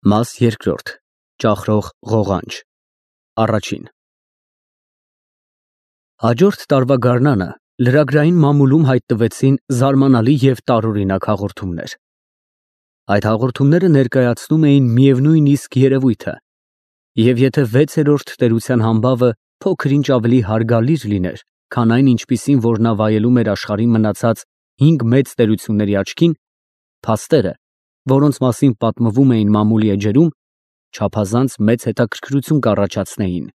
Մաս երկրորդ. Ճախրող ղողանջ Առաջին Հաջորդ տարվա գարնանը լրագրային մամուլում հայտնվեցին զարմանալի և տարօրինակ հաղորդումներ։ Այդ հաղորդումները ներկայացնում էին միևնույն իսկ երևույթը, և եթե 6-րդ տերության համբավը փոքր-ինչ ավելի հարգալից լիներ, քան այն, ինչպիսին որ նա վայելում էր աշխարհի մնացած 5 մեծ տերությունների աչքին, փաստերը, որոնց մասին պատմվում էին մամուլի էջերում, չափազանց մեծ հետաքրքրություն կառաջացնեին։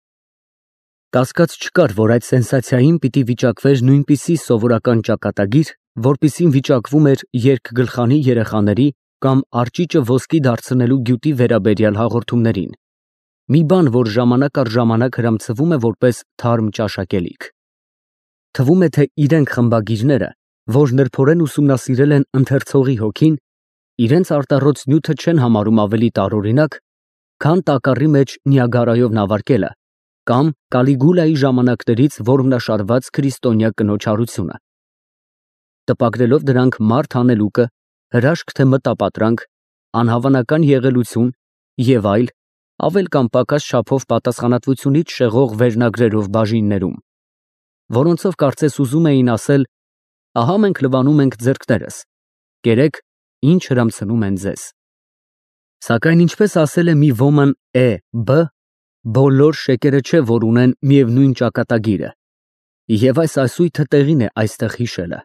Կասկած չկար, որ այդ սենսացիային պիտի վիճակվեր նույնպիսի սովորական ճակատագիր, որպիսին վիճակվում էր երկգլխանի երեխաների կամ արճիճը ոսկի դարձնելու գյուտի վերաբերյալ հաղորդումներին, մի բան, որ ժամանակ առ ժամանակ հրամցվում է որպես թարմ ճաշակելիք։ Թվում է, թե իրենք խմբագիրները, որ նրբորեն ուսումնասիրել են ընթերցողի հոգին, իրենց արտառոց նյութը չեն համարում ավելի տարօրինակ, քան տակառի մեջ Նիագարայով նավարկելը կամ Կալիգուլայի ժամանակներից որմնաշարված քրիստոնյա կնոջ հարությունը։ Տպագրելով դրանք մարդ հանելուկը, հրաշք թե մտապատրանք, անհավանական եղելություն և այլ, ավել կամ պակաս չափով պատասխանատվությունից շեղող վերնագրերով բաժիններում, որոնցով կարծես ուզում էին ասել. ահա մենք լվանում ենք ձեռքներս, կերեք, ինչ հրամցնում են ձեզ։ Սակայն ինչպես ասել է մի ոմն B, բոլոր շեկերը չէ, որ ունեն միևնույն ճակատագիրը, և այս ասույթը տեղին է այստեղ հիշելը։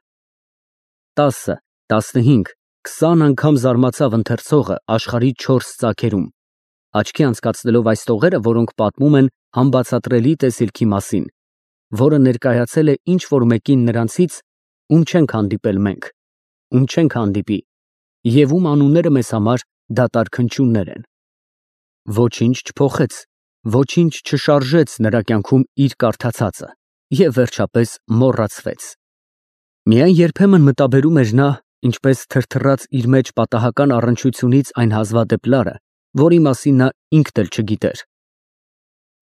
10, 15, 20 անգամ զարմացավ ընթերցողը աշխարհի 4 ծագերում, աչքի անցկացնելով այս տողերը, որոնք պատմում են համբացատրելի տեսիլքի մասին, որը ներկայացել է ինչ-որ մեկին նրանցից, ում չենք հանդիպել մենք, ում չենք հանդիպի, և ում անունները մեզ համար դատարկ հնչյուններ են։ Ոչինչ չփոխեց, ոչինչ չշարժեց նրա կյանքում իր կարդացածը և վերջապես մոռացվեց։ Միայն երբեմն մտաբերում էր նա, ինչպես թրթռաց իր մեջ պատահական առնչությունից այն հազվադեպ լարը, որի մասին նա ինքն էլ չգիտեր։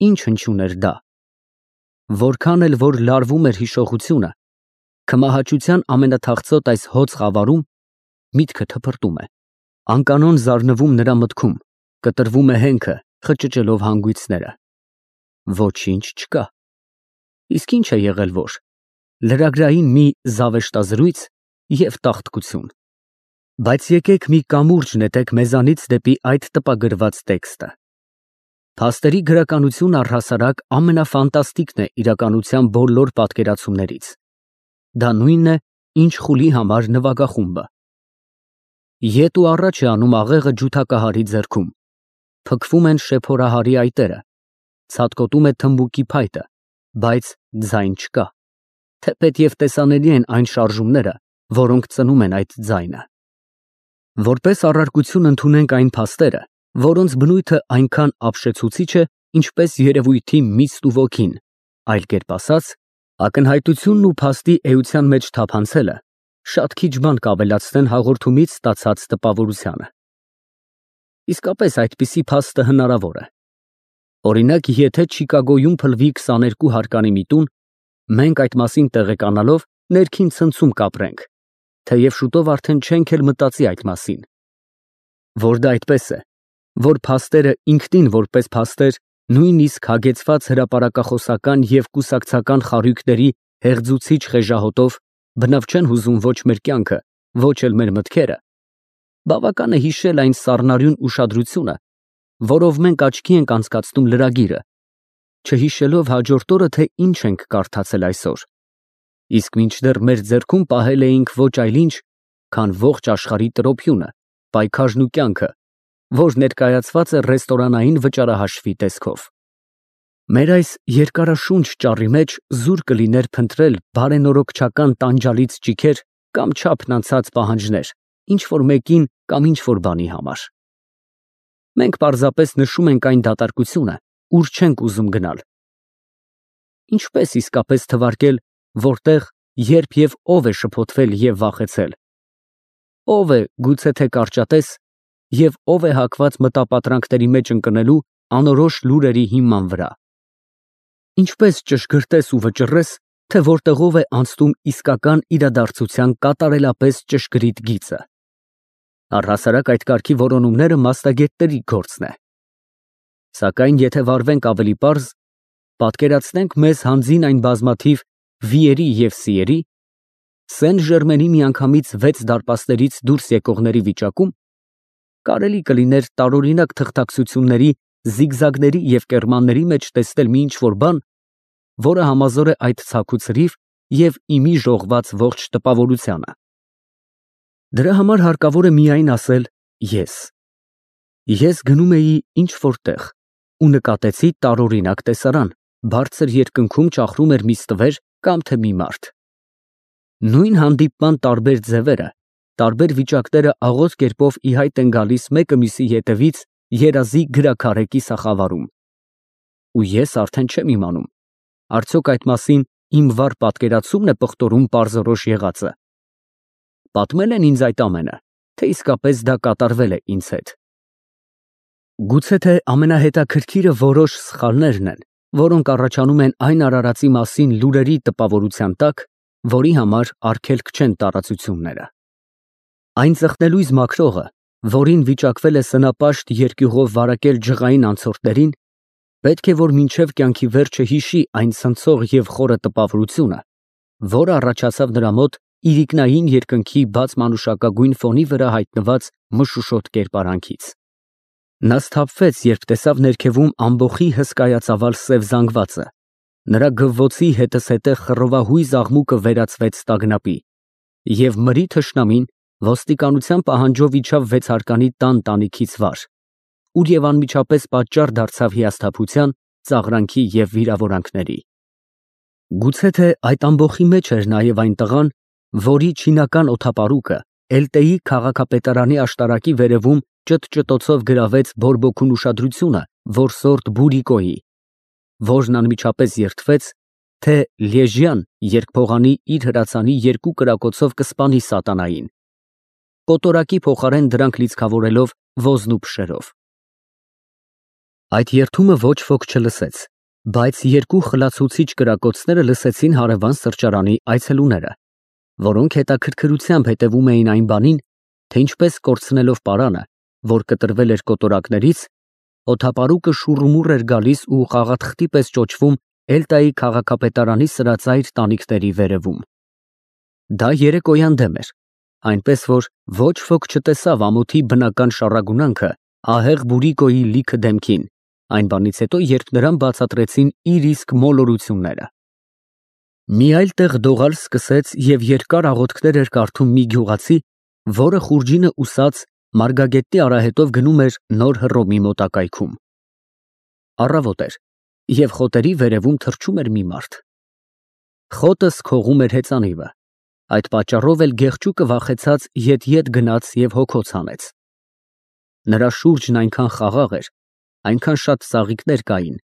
Ինչ հնչյուն էր դա։ Որքան էլ որ լարվում էր հիշողությունը, քմահաճության ամենաթախծոտ այս հոծ խավարում միտքը թփրտում է, անկանոն զարնվում նրա մտքում, կտրվում է հենքը, խճճելով հանգույցները։ Ոչինչ չկա։ Իսկ ինչ է եղել որ։ Լրագրային մի զավեշտազրույց և տաղտկություն։ Բայց եկեք մի կամուրջ նետեք մեզանից դեպի այդ տպագրված տեքստը։ Փաստերի գրականությունը առհասարակ ամենաֆանտաստիկն է իրականության բոլոր պատկերացումներից։ Դա նույնն է, ինչ խուլի համար նվագախումբը։ Ետ ու առաջ է անում աղեղը ջութակահարի ձեռքում, փքվում են շեփորահարի այտերը, ցատկոտում է թմբուկի փայտը, բայց ձայն չկա, թեպետև տեսանելի են այն շարժումները, որոնք ծնում են այդ ձայնը։ Որպես առարկություն ընդունենք այն փաստերը, որոնց բնույթը այնքան ապշեցուցիչ է, ինչպես երևույթի միստ ու ոգին, այլ կերպ ասած, ակնհայտությունն ու փաստի էության մեջ թափանցելը շատ քիչ բան կավելացնեն հաղորդումից ստացած տպավորությանը։ Իսկապես այդպիսի փաստը հնարավոր է։ Օրինակ, եթե Չիկագոյում փլվի 22 հարկանի մի տուն, մենք այդ մասին տեղեկանալով ներքին ցնցում կապրենք, թեև շուտով արդեն չենք էլ մտածի այդ մասին։ Որ դա այդպես է, որ փաստերը ինքնին որպես փաստեր, նույնիսկ հագեցված հրապարակախոսական և կուսակցական խարույկների հեղձուցիչ խեժահոտով բնավ չեն հուզում ոչ մեր կյանքը, ոչ էլ մեր մտքերը, բավական է հիշել այն սառնարյուն ուշադրությունը, որով մենք աչքի ենք անցկացնում լրագիրը, չհիշելով հաջորդ օրը, թե ինչ ենք կարդացել այսօր, իսկ մինչդեռ մեր ձեռքում պահել էինք ոչ այլ ինչ, քան ողջ աշխարհի տրոփյունը, պայքարն ու կյանքը, որ ներկայացված է ռեստորանային վճարահաշվի տեսքով։ Մեր այս երկարաշունչ ճառի մեջ զուր կլիներ փնտրել բարենորոգչական տանջալից ճիգեր կամ չափն անցած պահանջներ, ինչ-որ մեկին կամ ինչ-որ բանի համար։ Մենք պարզապես նշում ենք այն դատարկությունը, ուր չենք ուզում գնալ։ Ինչպես իսկապես թվարկել, որտեղ, երբ և ով է շփոթվել և վախեցել։ Ով է գուցե թե կարճատես և ով է հակված մտապատրանքների մեջ ընկնելու անորոշ լուրերի հիման վրա։ Ինչպես ճշգրտես ու վճռես, թե որտեղով է անցնում իսկական իրադարձության կատարելապես ճշգրիտ գիծը։ Առհասարակ այդ կարգի որոնումները մասնագետների գործն է։ Սակայն եթե վարվենք ավելի պարզ, պատկերացնենք մեզ հանձին այն բազմաթիվ վիերի և սիերի, Սեն Ժերմենի միանգամից 6 դարպասներից դուրս եկողների վիճակում, կարելի կլիներ տարօրինակ թղթակցությունների, զիգզագների և կեռմանների մեջ տեսնել մի ինչ-որ բան, որը համազոր է այդ ցաքու ցրիվ և իմի ժողված ողջ տպավորությանը։ Դրա համար հարկավոր է միայն ասել ես։ Ես գնում էի ինչ-որ տեղ ու նկատեցի տարօրինակ տեսարան, բարձր երկնքում ճախրում էր մի ստվեր կամ թե մի մարդ։ Նույն հանդիպման տարբեր ձևերը, տարբեր վիճակները աղոտ կերպով ի հայտ են գալիս մեկը մյուսի հետևից երազի գրաքարե կիսախավարում։ Ու ես արդեն չեմ իմանում, արդյոք այդ մասին իմ վառ պատկերացումն է պղտորում պարզորոշ եղածը։ Պատմել են ինձ այդ ամենը, թե իսկապես դա կատարվել է ինձ հետ։ Գուցե թե ամենահետաքրքիրը որոշ սխալներն են, որոնք առաջանում են այն արարածի մասին լուրերի տպավորության տակ, որի համար արգելք չեն տարածությունները։ Այն ծխնելույզ մաքրողը, որին վիճակվել է սնապաշտ երկյուղով վարակել ջղային անցորդներին, պետք է որ մինչև կյանքի վերջը հիշի այն ցնցող և խորը տպավորությունը, որը առաջացավ նրա մոտ իրիկնային երկնքի բաց մանուշակագույն ֆոնի վրա հայտնված մշուշոտ կերպարանքից։ Նա սթափվեց, երբ տեսավ ներքևում ամբոխի հսկայածավալ սև զանգվածը, նրա գվվոցի հետզհետե խռովահույզ աղմուկը վերածվեց տագնապի, և մրի թշնամին ոստիկանության պահանջով իջավ վեցարկանի տան տանիքից վար, ուր և անմիջապես պատճառ դարձավ հիասթափության, ծաղրանքի և վիրավորանքների։ Գուցե թե այդ ամբոխի մեջ էր նաև այն տղան, որի չինական օդապարուկը Էլտեի քաղաքապետարանի աշտարակի վերևում ճտճտոցով գրավեց բորբոքուն ուշադրությունը որսորդ Բուրիկոյի, որն անմիջապես երդվեց, թե Լիեժյան երկփողանի իր հրացանի 2 կրակոցով կսպանի սատանային, կոտորակի փոխարեն դրանք լիցքավորելով ոզն ու փշերով։ Այդ երդումը ոչ ոք չլսեց, բայց 2 խլացուցիչ կրակոցները լսեցին հարևան սրճարանի այցելուները, որոնք հետաքրքրությամբ հետևում էին այն բանին, թե ինչպես կորցնելով պարանը, որ կտրվել էր կոտորակներից, օդապարուկը շուռումուռ էր գալիս ու խաղաթղթի պես ճոճվում Էլտայի քաղաքապետարանի սրածայր տանիքների վերևում։ Դա երեկոյան դեմ էր, այնպես որ ոչ ոք չտեսավ ամոթի բնական շառագունանքը ահեղ Բուրիկոյի լիքը դեմքին, այն բանից հետո, երբ նրան բացատրեցին իր իսկ մոլորությունները։ Մի այլ տեղ դողալ սկսեց և երկար աղոթքներ էր կարդում մի գյուղացի, որը խուրջինը ուսած մարգագետի արահետով գնում էր նոր Հռոմի մոտակայքում։ Առավոտ էր, և խոտերի վերևում թռչում էր մի մարդ։ Խոտը սքողում էր հեծանիվը, այդ պատճառով էլ գեղջուկը վախեցած ետ գնաց և հոգոց հանեց։ Նրա շուրջն այնքան խաղաղ էր, այնքան շատ ծաղիկներ կային,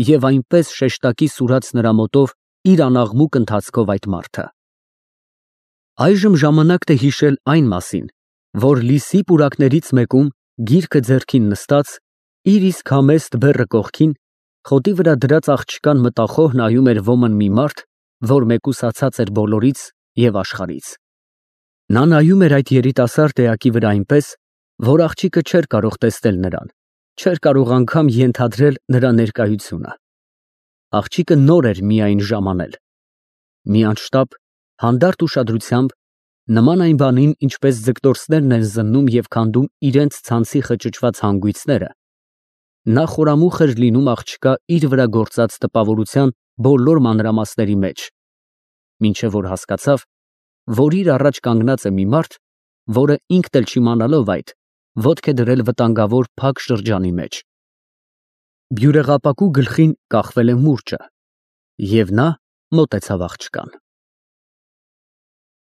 և այնպես շեշտակի սուրաց նրա մոտով իր անաղմուկ ընթացքով այդ մարդը։ Այժմ ժամանակն է հիշել այն մասին, որ լիսի պուրակներից մեկում, գիրքը ձեռքին նստած, իր իսկ համեստ բեռը կողքին, խոտի վրա դրած աղջկան մտախոհ նայում էր ոմն մի մարդ, որ մեկուսացած էր բոլորից և աշխարհից։ Նա նայում էր այդ երիտասարդ էակի վրա այնպես, որ աղջիկը չէր կարող տեսնել նրան, չէր կարող անգամ ենթադրել նրա ներկայությունը։ Աղջիկը նոր էր միայն ժամանել։ Մի անշտապ, հանդարտ ուշադրությամբ, նման այն բանին, ինչպես ձկտորսներն են զննում և քանդում իրենց ցանցի խճճված հանգույցները, նա խորամուխ էր լինում աղջկա իր վրա գործած տպավորության բոլոր մանրամասների մեջ, մինչև որ հասկացավ, որ իր առաջ կանգնած է մի մարդ, որը ինքն էլ չիմանալով այդ, ոտք է դրել վտանգավոր փակ շրջանի մեջ։ Բյուրեղապակու գլխին կախվել է մուրճը, և նա մոտեցավ աղջկան։